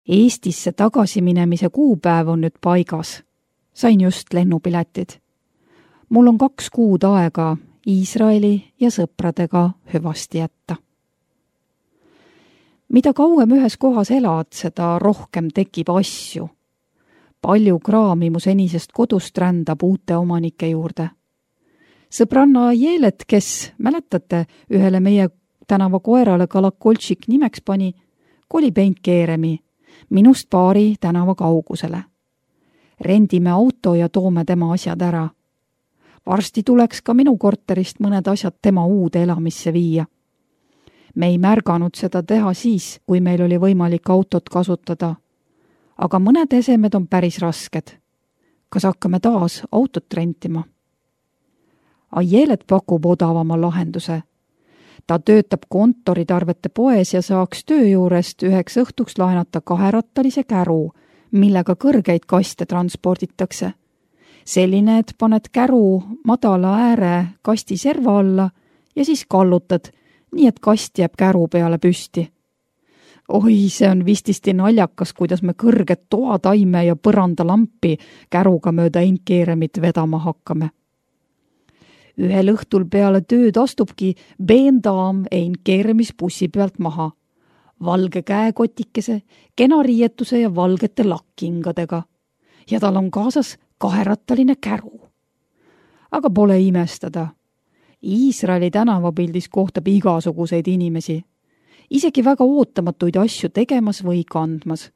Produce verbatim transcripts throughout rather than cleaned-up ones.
Eestisse tagasiminemise kuupäev on nüüd paigas. Sain just lennupiletid. Mul on kaks kuud aega Iisraeli ja sõpradega hüvasti jätta. Mida kauem ühes kohas elad, seda rohkem tekib asju. Palju kraami mu senisest kodust rändab uute omanike juurde. Sõbranna Jeelet, kes, mäletate, ühele meie tänava koerale Kalakoltšik nimeks pani, kolib Eindkeeremi, minust paari tänava kaugusele. Rendime auto ja toome tema asjad ära. Varsti tuleks ka minu korterist mõned asjad tema uude elamisse viia. Me ei märganud seda teha siis, kui meil oli võimalik autot kasutada. Aga mõned esemed on päris rasked. Kas hakkame taas autot rentima? Aielet pakub odavama lahenduse. Ta töötab kontoritarvete poes ja saaks töö juurest üheks õhtuks laenata kaherattalise käru, millega kõrgeid kaste transporditakse. Selline, et paned käru madala ääre kasti serva alla ja siis kallutad, nii et kast jääb käru peale püsti. Oi, see on vististi naljakas, kuidas me kõrget toataime ja põrandalampi käruga mööda Eindkeeremit vedama hakkame. Ühel õhtul peale tööd astubki beendaam Eindkeeremis bussi pealt maha. Valge käekotikese, kena riietuse ja valgete lakkingadega. Ja tal on kaasas kaherattaline käru. Aga pole imestada. Iisraeli tänavapildis kohtab igasuguseid inimesi. Isegi väga ootamatuid asju tegemas või kandmas.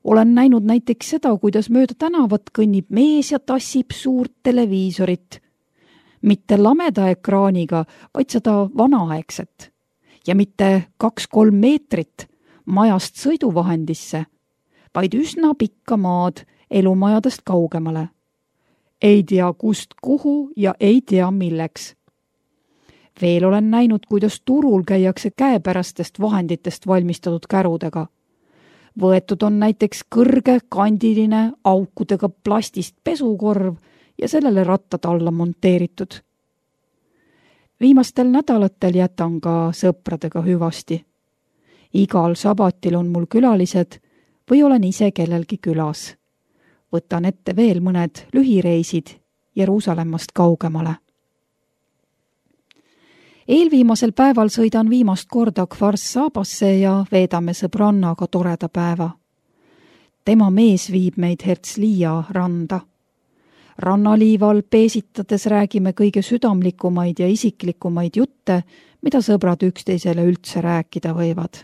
Olen näinud näiteks seda, kuidas mööda tänavat kõnnib mees ja tassib suurt televiisorit. Mitte lameda ekraaniga, vaid seda vanaaegset. Ja mitte kaks-kolm meetrit majast sõiduvahendisse, vaid üsna pikka maad elumajadest kaugemale. Ei tea kust kuhu ja ei tea milleks. Veel olen näinud, kuidas turul käiakse käepärastest vahenditest valmistatud kärudega. Võetud on näiteks kõrge kandiline aukudega plastist pesukorv ja sellele rattad alla monteeritud. Viimastel nädalatel jätan ka sõpradega hüvasti. Igal sabatil on mul külalised või olen ise kellelgi külas. Võtan ette veel mõned lühireisid Jeruusalemmast kaugemale. Eelviimasel päeval sõidan viimast korda Kfar Sabasse ja veedame sõbrannaga toreda päeva. Tema mees viib meid Herzliya randa. Rannaliival peesitades räägime kõige südamlikumaid ja isiklikumaid jutte, mida sõbrad üksteisele üldse rääkida võivad.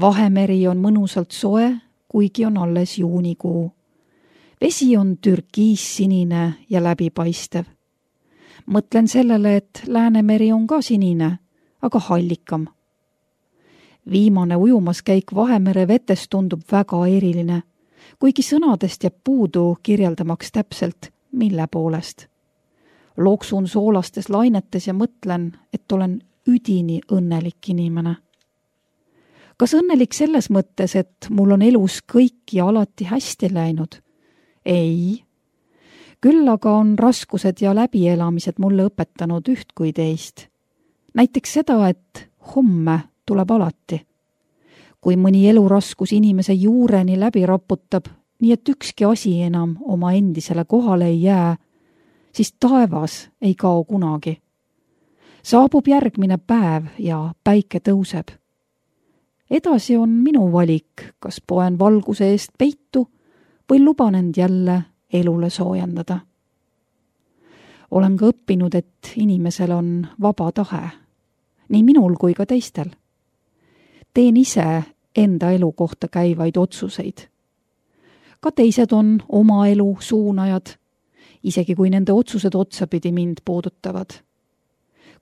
Vahemeri on mõnusalt soe, kuigi on alles juunikuu. Vesi on türkiis-sinine ja läbipaistev. Mõtlen sellele, et Läänemeri on ka sinine, aga hallikam. Viimane ujumaskäik Vahemere vetes tundub väga eriline, kuigi sõnadest jääb puudu kirjeldamaks täpselt, mille poolest. Loksun soolastes lainetes ja mõtlen, et olen üdini õnnelik inimene. Kas õnnelik selles mõttes, et mul on elus kõik ja alati hästi läinud? Ei. Küll aga on raskused ja läbielamised mulle õpetanud üht kui teist. Näiteks seda, et homme tuleb alati. Kui mõni eluraskus inimese juureni läbi raputab, nii et ükski asi enam oma endisele kohale ei jää, siis taevas ei kao kunagi. Saabub järgmine päev ja päike tõuseb. Edasi on minu valik, kas poen valguse eest peitu või luban end jälle elule soojendada. Olen ka õppinud, et inimesel on vaba tahe, nii minul kui ka teistel. Teen ise enda elu kohta käivaid otsuseid. Ka teised on oma elu suunajad, isegi kui nende otsused otsapidi mind puudutavad.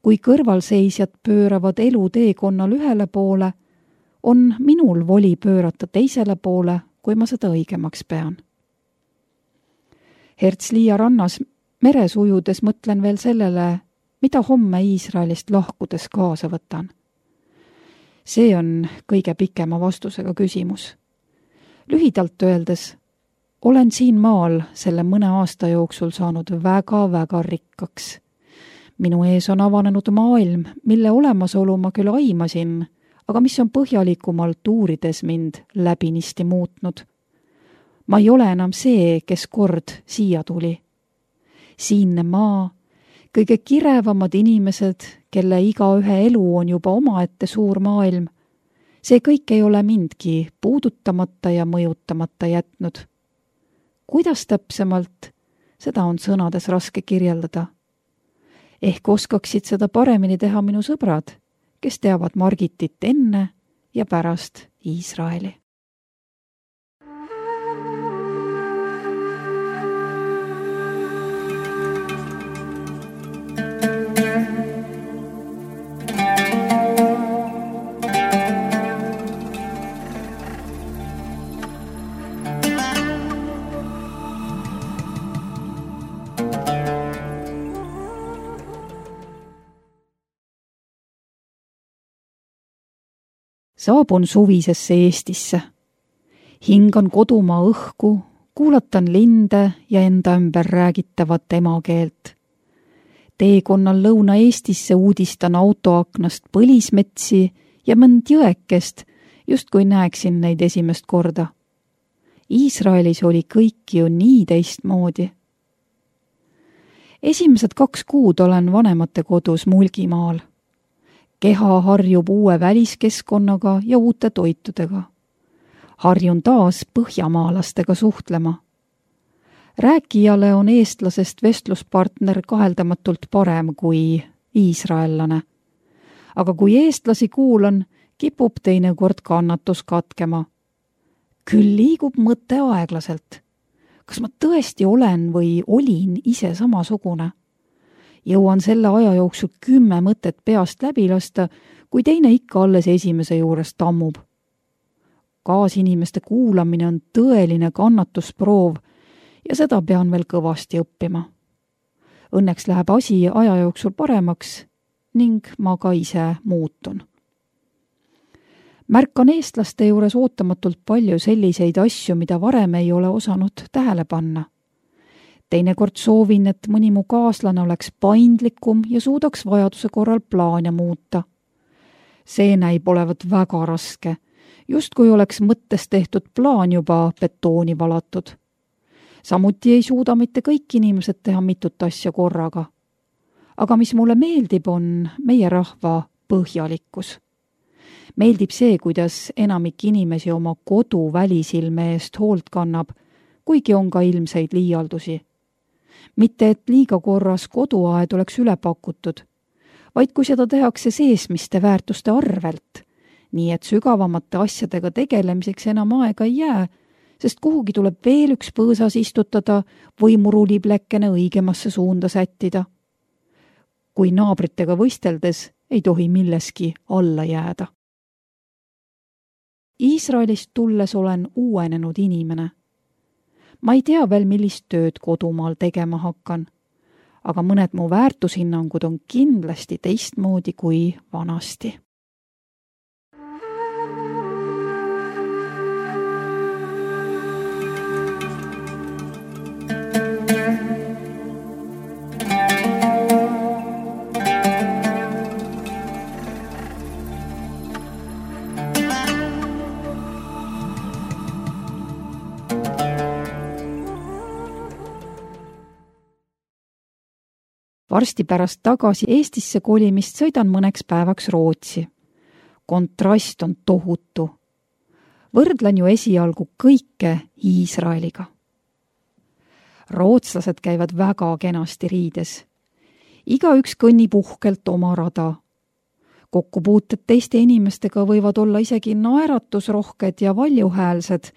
Kui kõrvalseisjad pööravad elu teekonnal ühele poole, on minul voli pöörata teisele poole, kui ma seda õigemaks pean. Herzliya rannas meres ujudes mõtlen veel sellele, mida homme Iisraelist lahkudes kaasa võtan. See on kõige pikema vastusega küsimus. Lühidalt öeldes, olen siin maal selle mõne aasta jooksul saanud väga-väga rikkaks. Minu ees on avanenud maailm, mille olemasolu ma küll aimasin, aga mis on põhjalikumalt uurides mind läbinisti muutnud. Ma ei ole enam see, kes kord siia tuli. Siinne maa, kõige kirevamad inimesed, kelle igaühe elu on juba omaette suur maailm, see kõik ei ole mindki puudutamata ja mõjutamata jätnud. Kuidas täpsemalt, seda on sõnades raske kirjeldada. Ehk oskaksid seda paremini teha minu sõbrad, kes teavad Margitit enne ja pärast Iisraeli. Saabun suvisesse Eestisse. Hingan kodumaa õhku, kuulatan linde ja enda ümber räägitavat emakeelt. Teekonnal Lõuna-Eestisse uudistan autoaknast põlismetsi ja mõnd jõekest, just kui näeksin neid esimest korda. Iisraelis oli kõik ju nii teistmoodi. Esimesed kaks kuud olen vanemate kodus Mulgimaal. Keha harjub uue väliskeskkonnaga ja uute toitudega. Harjun taas põhjamaalastega suhtlema. Rääkijale on eestlasest vestluspartner kaheldamatult parem kui iisraellane. Aga kui eestlasi kuulan, kipub teinekord kannatus katkema. Küll liigub mõte aeglaselt. Kas ma tõesti olen või olin ise samasugune? Jõuan selle aja jooksul kümme mõtet peast läbi lasta, kui teine ikka alles esimese juures tammub. Kaasinimeste kuulamine on tõeline kannatusproov ja seda pean veel kõvasti õppima. Õnneks läheb asi aja jooksul paremaks ning ma ka ise muutun. Märkan eestlaste juures ootamatult palju selliseid asju, mida varem ei ole osanud tähele panna. Teinekord soovin, et mõni mu kaaslane oleks paindlikum ja suudaks vajaduse korral plaane muuta. See näib olevat väga raske, just kui oleks mõttes tehtud plaan juba betooni valatud. Samuti ei suuda mitte kõik inimesed teha mitut asja korraga. Aga mis mulle meeldib, on meie rahva põhjalikkus. Meeldib see, kuidas enamik inimesi oma kodu välisilme eest hoolt kannab, kuigi on ka ilmseid liialdusi. Mitte, et liiga korras koduaed oleks üle pakutud, vaid kui seda tehakse seesmiste väärtuste arvelt, nii et sügavamate asjadega tegelemiseks enam aega ei jää, sest kuhugi tuleb veel üks põõsas istutada või muruliplekene õigemasse suunda sättida. Kui naabritega võisteldes ei tohi milleski alla jääda. Iisraelist tulles olen uuenenud inimene. Ma ei tea veel, millist tööd kodumaal tegema hakkan, aga mõned mu väärtushinnangud on kindlasti teistmoodi kui vanasti. Varsti pärast tagasi Eestisse kolimist sõidan mõneks päevaks Rootsi. Kontrast on tohutu. Võrdlen ju esialgu kõike Iisraeliga. Rootslased käivad väga kenasti riides. Igaüks kõnnib uhkelt oma rada. Kokkupuuted teiste inimestega võivad olla isegi naeratusrohked ja valjuhäälsed,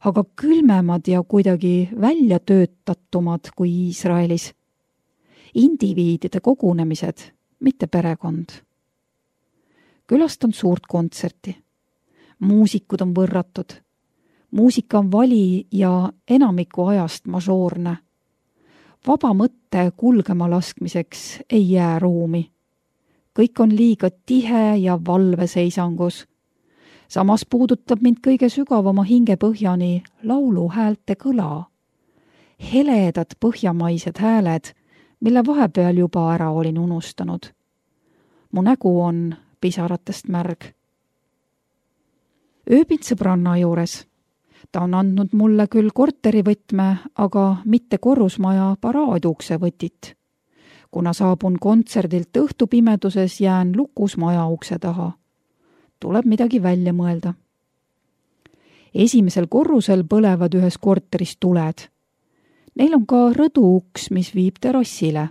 aga külmemad ja kuidagi välja töötatumad kui Iisraelis. Indiviidide kogunemised, mitte perekond. Külastan suurt kontserti. Muusikud on võrratud. Muusika on vali ja enamiku ajast mažoorne. Vaba mõtte kulgema laskmiseks ei jää ruumi. Kõik on liiga tihe ja valveseisangus. Samas puudutab mind kõige sügavama hingepõhjani lauluhäälte kõla. Heledad põhjamaised hääled, mille vahepeal juba ära olin unustanud. Mu nägu on pisaratest märg. ööbin sõbranna juures. Ta on andnud mulle küll korterivõtme, aga mitte korrusmaja paraadukse võtit. Kuna saabun kontserdilt õhtupimeduses, jään lukus maja ukse taha. Tuleb midagi välja mõelda. Esimesel korrusel põlevad ühes korteris tuled. Neil on ka rõduuks, mis viib terrassile.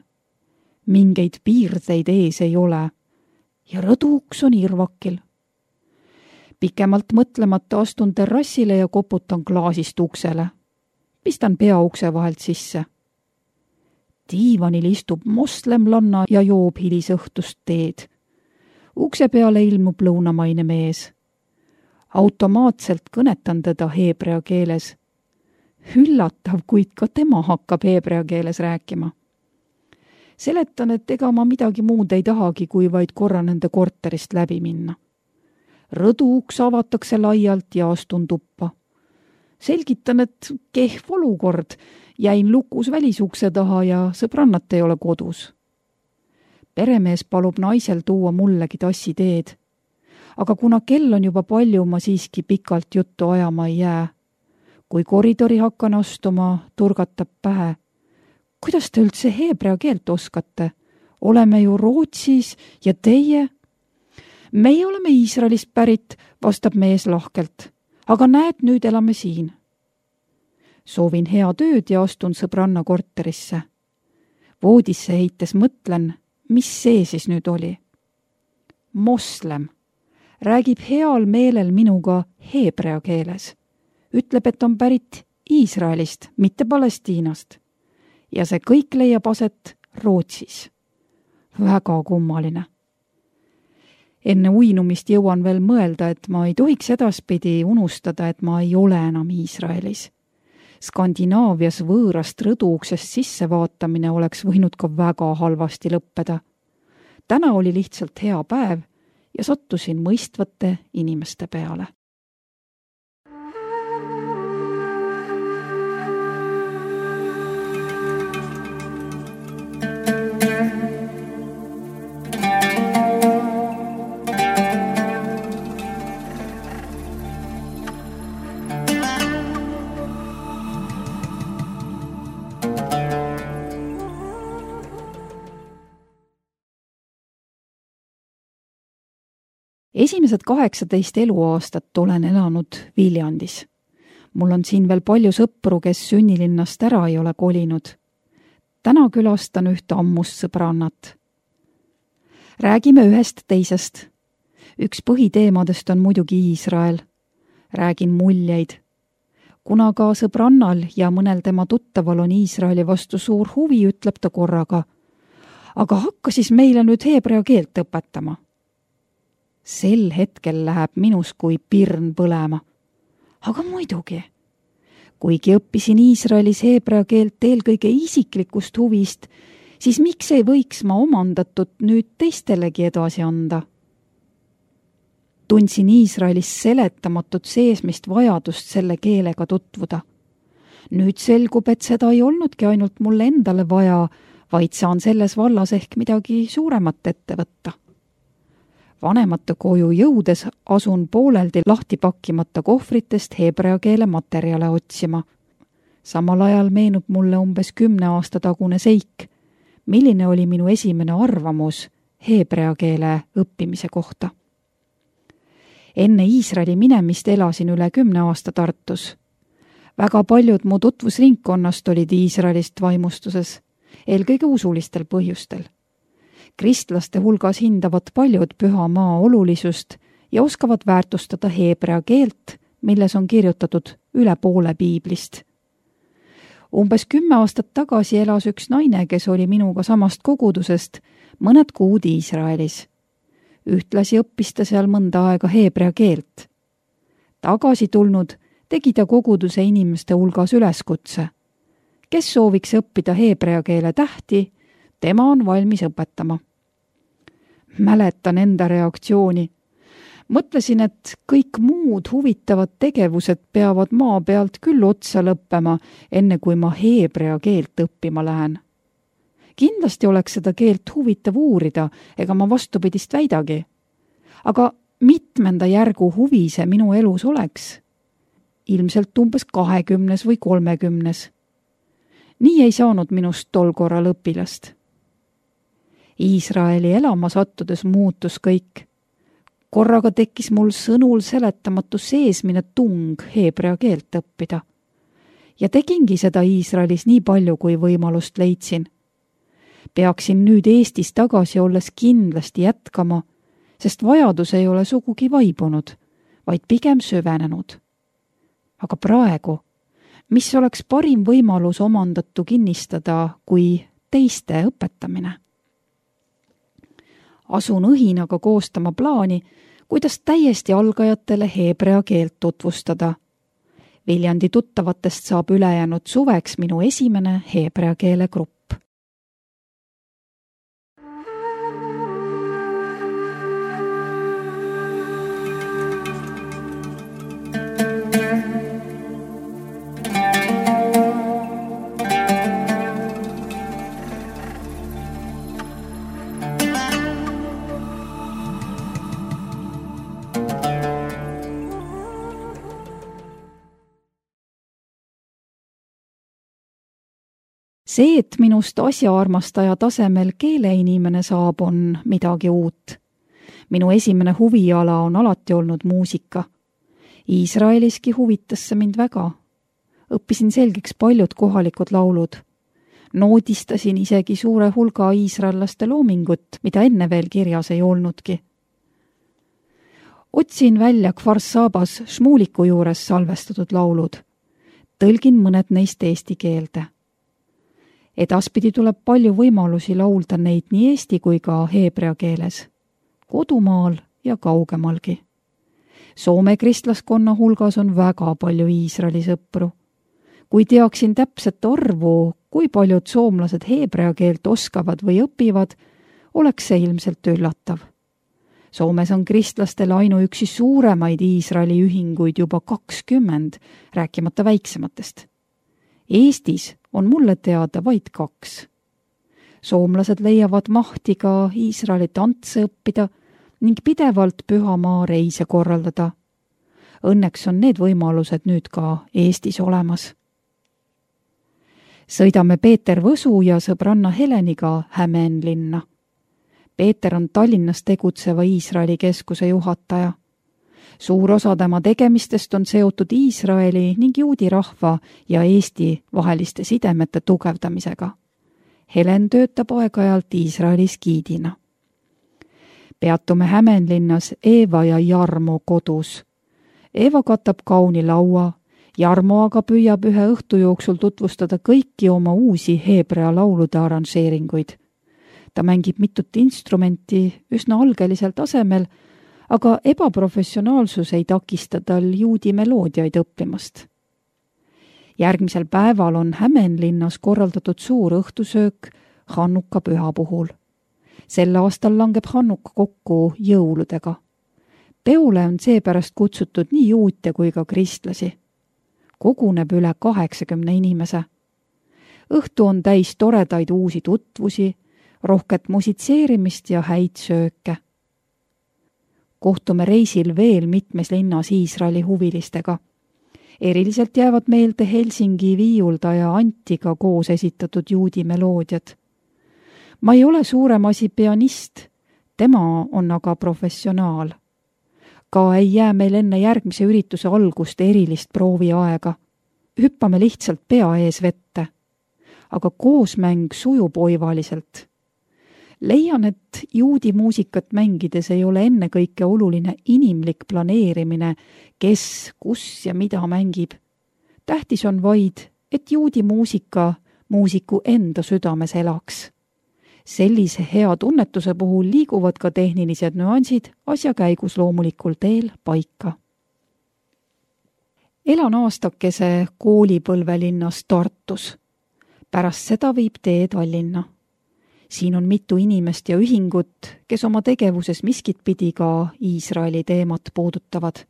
Mingeid piirdeid ees ei ole ja rõduuks on irvakil. Pikemalt mõtlemata astun terrassile ja koputan klaasist uksele. Pistan pea ukse vahelt sisse. Diivanil istub moslemlanna ja joob hilisõhtust teed. Ukse peale ilmub lõunamaine mees. Automaatselt kõnetan teda heebrea keeles. Üllatav, kuid ka tema hakkab heebrea keeles rääkima. Seletan, et ega ma midagi muud ei tahagi, kui vaid korra nende korterist läbi minna. Rõduuks avatakse laialt ja astun tuppa. Selgitan, et kehv olukord, jäin lukus välisukse taha ja sõbrannat ei ole kodus. Peremees palub naisel tuua mullegi tassi teed. Aga kuna kell on juba palju, ma siiski pikalt juttu ajama ei jää. Kui koridori hakkan astuma, turgatab pähe. Kuidas te üldse heebrea keelt oskate? Oleme ju Rootsis ja teie? Meie oleme Iisraelist pärit, vastab mees lahkelt. Aga näed, nüüd elame siin. Soovin hea tööd ja astun sõbranna korterisse. Voodisse heites mõtlen, mis see siis nüüd oli. Moslem räägib heal meelel minuga heebrea keeles. Ütleb, et on pärit Iisraelist, mitte Palestiinast. Ja see kõik leiab aset Rootsis. Väga kummaline. Enne uinumist jõuan veel mõelda, et ma ei tohiks edaspidi unustada, et ma ei ole enam Iisraelis. Skandinaavias võõrast rõduuksest sissevaatamine oleks võinud ka väga halvasti lõppeda. Täna oli lihtsalt hea päev ja sattusin mõistvate inimeste peale. Esimesed kaheksateist eluaastat olen elanud Viljandis. Mul on siin veel palju sõpru, kes sünnilinnast ära ei ole kolinud. Täna külastan ühte ammust sõbrannat. Räägime ühest teisest. Üks põhiteemadest on muidugi Iisrael. Räägin muljeid. Kuna ka sõbrannal ja mõnel tema tuttaval on Iisraeli vastu suur huvi, ütleb ta korraga. Aga hakka siis meile nüüd heebrea keelt õpetama. Sel hetkel läheb minus kui pirn põlema. Aga muidugi. Kuigi õppisin Iisraelis heebrea keelt eelkõige isiklikust huvist, siis miks ei võiks ma omandatud nüüd teistelegi edasi anda? Tundsin Iisraelis seletamatut seesmist vajadust selle keelega tutvuda. Nüüd selgub, et seda ei olnudki ainult mulle endale vaja, vaid saan selles vallas ehk midagi suuremat ette võtta. Vanemate koju jõudes asun pooleldi lahti pakkimata kohvritest heebrea keele materjale otsima. Samal ajal meenub mulle umbes kümne aasta tagune seik, milline oli minu esimene arvamus heebrea keele õppimise kohta. Enne Iisraeli minemist elasin üle kümne aasta Tartus. Väga paljud mu tutvusringkonnast olid Iisraelist vaimustuses, eelkõige usulistel põhjustel. Kristlaste hulgas hindavad paljud püha maa olulisust ja oskavad väärtustada heebrea keelt, milles on kirjutatud üle poole piiblist. Umbes kümme aastat tagasi elas üks naine, kes oli minuga samast kogudusest, mõned kuud Iisraelis. Ühtlasi õppis ta seal mõnda aega heebrea keelt. Tagasi tulnud tegi ta koguduse inimeste hulgas üleskutse. Kes sooviks õppida heebrea keele tähti, tema on valmis õpetama. Mäletan enda reaktsiooni. Mõtlesin, et kõik muud huvitavad tegevused peavad maa pealt küll otsa lõppema, enne kui ma heebrea keelt õppima lähen. Kindlasti oleks seda keelt huvitav uurida, ega ma vastupidist väidagi. Aga mitmenda järgu huvi see minu elus oleks? Ilmselt umbes kahekümnes või kolmekümnes. Nii ei saanud minust tol korral õpilast. Iisraeli elama sattudes muutus kõik. Korraga tekkis mul sõnul seletamatu seesmine tung heebrea keelt õppida. Ja tegingi seda Iisraelis nii palju, kui võimalust leidsin. Peaksin nüüd Eestis tagasi olles kindlasti jätkama, sest vajadus ei ole sugugi vaibunud, vaid pigem süvenenud. Aga praegu, mis oleks parim võimalus omandatu kinnistada kui teiste õpetamine? Asun õhinaga koostama plaani, kuidas täiesti algajatele heebrea keelt tutvustada. Viljandi tuttavatest saab ülejäänud suveks minu esimene heebrea keele grupp. See, et minust asjaarmastaja tasemel keeleinimene saab, on midagi uut. Minu esimene huviala on alati olnud muusika. Iisraeliski huvitas see mind väga. Õppisin selgeks paljud kohalikud laulud. Noodistasin isegi suure hulga iisraellaste loomingut, mida enne veel kirjas ei olnudki. Otsin välja Kfar Sabas Šmuliku juures salvestatud laulud. Tõlgin mõned neist eesti keelde. Edaspidi tuleb palju võimalusi laulda neid nii eesti kui ka heebrea keeles, kodumaal ja kaugemalgi. Soome kristlaskonna hulgas on väga palju Iisraeli sõpru. Kui teaksin täpset arvu, kui paljud soomlased heebrea keelt oskavad või õpivad, oleks see ilmselt üllatav. Soomes on kristlastel ainuüksi suuremaid Iisraeli ühinguid juba kakskümmend, rääkimata väiksematest. Eestis on mulle teada vaid kaks. Soomlased leiavad mahti ka Iisraeli tantse õppida ning pidevalt pühamaa reise korraldada. Õnneks on need võimalused nüüd ka Eestis olemas. Sõidame Peeter Võsu ja sõbranna Heleniga Hämeenlinna. Peeter on Tallinnas tegutseva Iisraeli keskuse juhataja. Suur osa tema tegemistest on seotud Iisraeli ning juudi rahva ja Eesti vaheliste sidemete tugevdamisega. Helen töötab aeg-ajalt Iisraelis giidina. Peatume Hämeenlinnas Eeva ja Jarmo kodus. Eeva katab kauni laua, Jarmo aga püüab ühe õhtu jooksul tutvustada kõiki oma uusi heebrea laulude arranžeeringuid. Ta mängib mitut instrumenti üsna algelisel tasemel, aga ebaprofessionaalsus ei takista tal juudi meloodiaid õppimast. Järgmisel päeval on Hämeenlinnas korraldatud suur õhtusöök Hannuka püha puhul. Sel aastal langeb Hannuka kokku jõuludega. Peole on seepärast kutsutud nii juute kui ka kristlasi. Koguneb üle kaheksakümne inimese. Õhtu on täis toredaid uusi tutvusi, rohket musitseerimist ja häid sööke. Kohtume reisil veel mitmes linnas Iisraeli huvilistega. Eriliselt jäävad meelde Helsingi viiuldaja Antiga koos esitatud juudi meloodiad. Ma ei ole suurem asi pianist, tema on aga professionaal. Ka ei jää meil enne järgmise ürituse algust erilist prooviaega. Hüppame lihtsalt pea ees vette. Aga koosmäng sujub oivaliselt. Leian, et juudi muusikat mängides ei ole ennekõike oluline inimlik planeerimine, kes, kus ja mida mängib. Tähtis on vaid, et juudi muusika muusiku enda südames elaks. Sellise hea tunnetuse puhul liiguvad ka tehnilised nüansid asja käigus loomulikul teel paika. Elan aastakese koolipõlvelinnas Tartus. Pärast seda viib tee Tallinna. Siin on mitu inimest ja ühingut, kes oma tegevuses miskit pidi ka Iisraeli teemat puudutavad.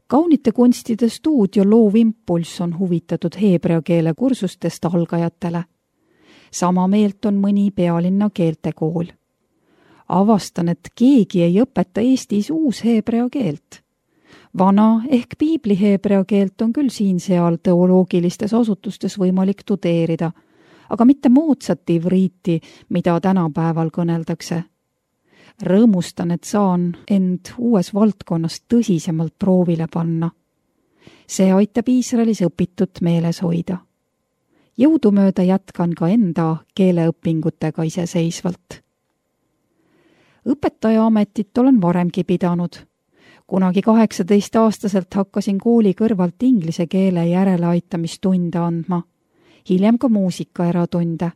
Kaunite kunstide stuudio Loov Impulss on huvitatud heebrea keele kursustest algajatele. Sama meelt on mõni pealinna keeltekool. avastan, et keegi ei õpeta Eestis uus heebrea keelt. Vana ehk piibli heebrea keelt on küll siin-seal teoloogilistes asutustes võimalik tudeerida, aga mitte moodsat ivriiti, mida tänapäeval kõneldakse. Rõõmustan, et saan end uues valdkonnas tõsisemalt proovile panna. See aitab Iisraelis õpitut meeles hoida. Jõudumööda jätkan ka enda keeleõpingutega iseseisvalt. Õpetaja ametit olen varemgi pidanud. Kunagi kaheksateist-aastaselt hakkasin kooli kõrvalt inglise keele järeleaitamistunde andma, hiljem ka muusika eratunde.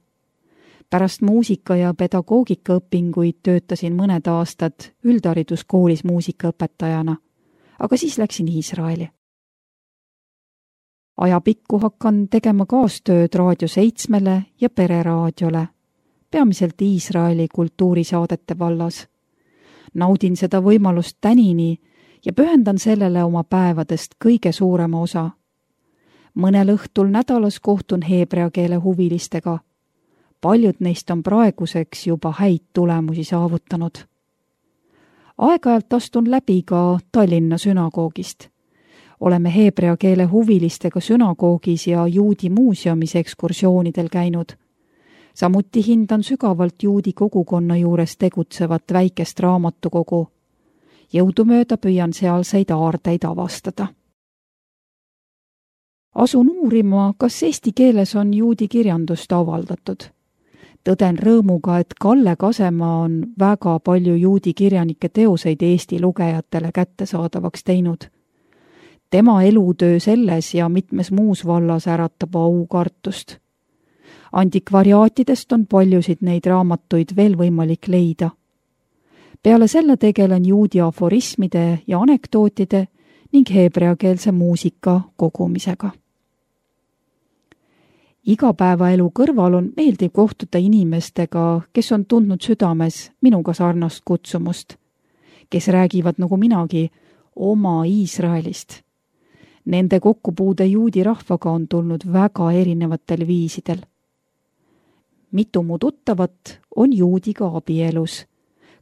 Pärast muusika- ja pedagoogikaõpinguid töötasin mõned aastad üldhariduskoolis muusikaõpetajana, aga siis läksin Iisraeli. Ajapikku hakkan tegema kaastööd Raadio seitsmele ja Pereraadiole, peamiselt Iisraeli kultuurisaadete vallas. Naudin seda võimalust tänini ja pühendan sellele oma päevadest kõige suurema osa. Mõnel õhtul nädalas kohtun heebrea keele huvilistega. Paljud neist on praeguseks juba häid tulemusi saavutanud. Aeg-ajalt astun läbi ka Tallinna sünagoogist. Oleme heebrea keele huvilistega sünagoogis ja juudi muuseumis ekskursioonidel käinud. Samuti hindan sügavalt juudi kogukonna juures tegutsevat väikest raamatukogu. Jõudumööda püüan sealseid aardeid avastada. Asun uurima, kas eesti keeles on juudi kirjandust avaldatud. Tõden rõõmuga, et Kalle Kasemaa on väga palju juudi kirjanike teoseid Eesti lugejatele kättesaadavaks teinud. Tema elutöö selles ja mitmes muus vallas äratab aukartust. Antikvariaatidest on paljusid neid raamatuid veel võimalik leida. Peale selle tegelen juudi aforismide ja anekdootide ning heebreakeelse muusika kogumisega. Igapäevaelu kõrval on meeldiv kohtuda inimestega, kes on tundnud südames minuga sarnast kutsumust, kes räägivad nagu minagi oma Iisraelist. Nende kokkupuude juudi rahvaga on tulnud väga erinevatel viisidel. Mitu mu tuttavat on juudiga abielus,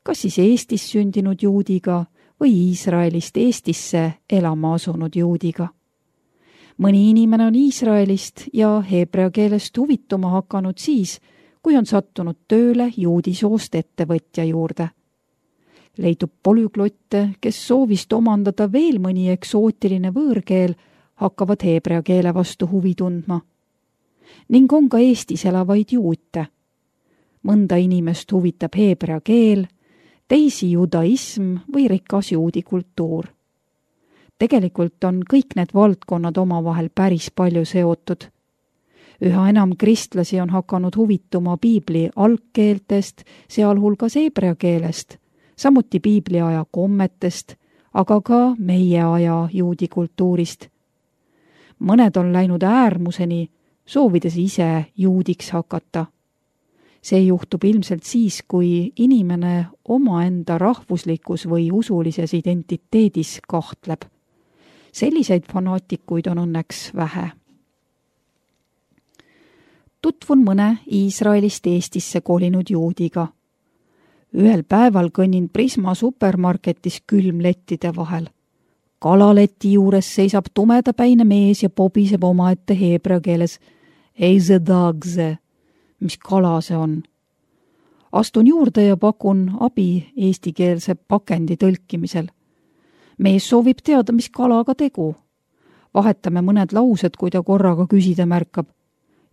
kas siis Eestis sündinud juudiga või Iisraelist Eestisse elama asunud juudiga. Mõni inimene on Iisraelist ja heebrea keelest huvituma hakanud siis, kui on sattunud tööle juudi soost ettevõtja juurde. Leidub polüglotte, kes soovist omandada veel mõni eksootiline võõrkeel, hakkavad heebrea keele vastu huvi tundma. Ning on ka Eestis elavaid juute. Mõnda inimest huvitab heebrea keel, teisi judaism või rikas juudi kultuur. Tegelikult on kõik need valdkonnad omavahel päris palju seotud. Üha enam kristlasi on hakanud huvituma piibli algkeeltest, sealhulgas heebrea keelest, samuti piibli aja kommetest, aga ka meie aja juudi kultuurist. Mõned on läinud äärmuseni, soovides ise juudiks hakata. See juhtub ilmselt siis, kui inimene omaenda rahvuslikus või usulises identiteedis kahtleb. Selliseid fanaatikuid on õnneks vähe. Tutvun mõne Iisraelist Eestisse kolinud juudiga. Ühel päeval kõnnin Prisma supermarketis külmlettide vahel. Kalaleti juures seisab tumedapäine mees ja pobiseb omaette heebrea keeles Eize dagze, mis kala see on. Astun juurde ja pakun abi eestikeelse pakendi tõlkimisel. Mees soovib teada, mis kalaga tegu. Vahetame mõned laused, kui ta korraga küsida märkab.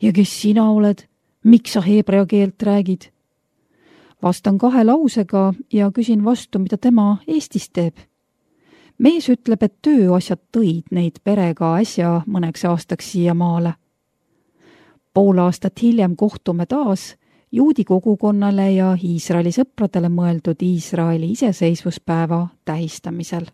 Ja kes sina oled? Miks sa heebrea keelt räägid? Vastan kahe lausega ja küsin vastu, mida tema Eestis teeb. Mees ütleb, et tööasjad tõid neid perega äsja mõneks aastaks siia maale. Pool aastat hiljem kohtume taas juudi kogukonnale ja Iisraeli sõpradele mõeldud Iisraeli iseseisvuspäeva tähistamisel.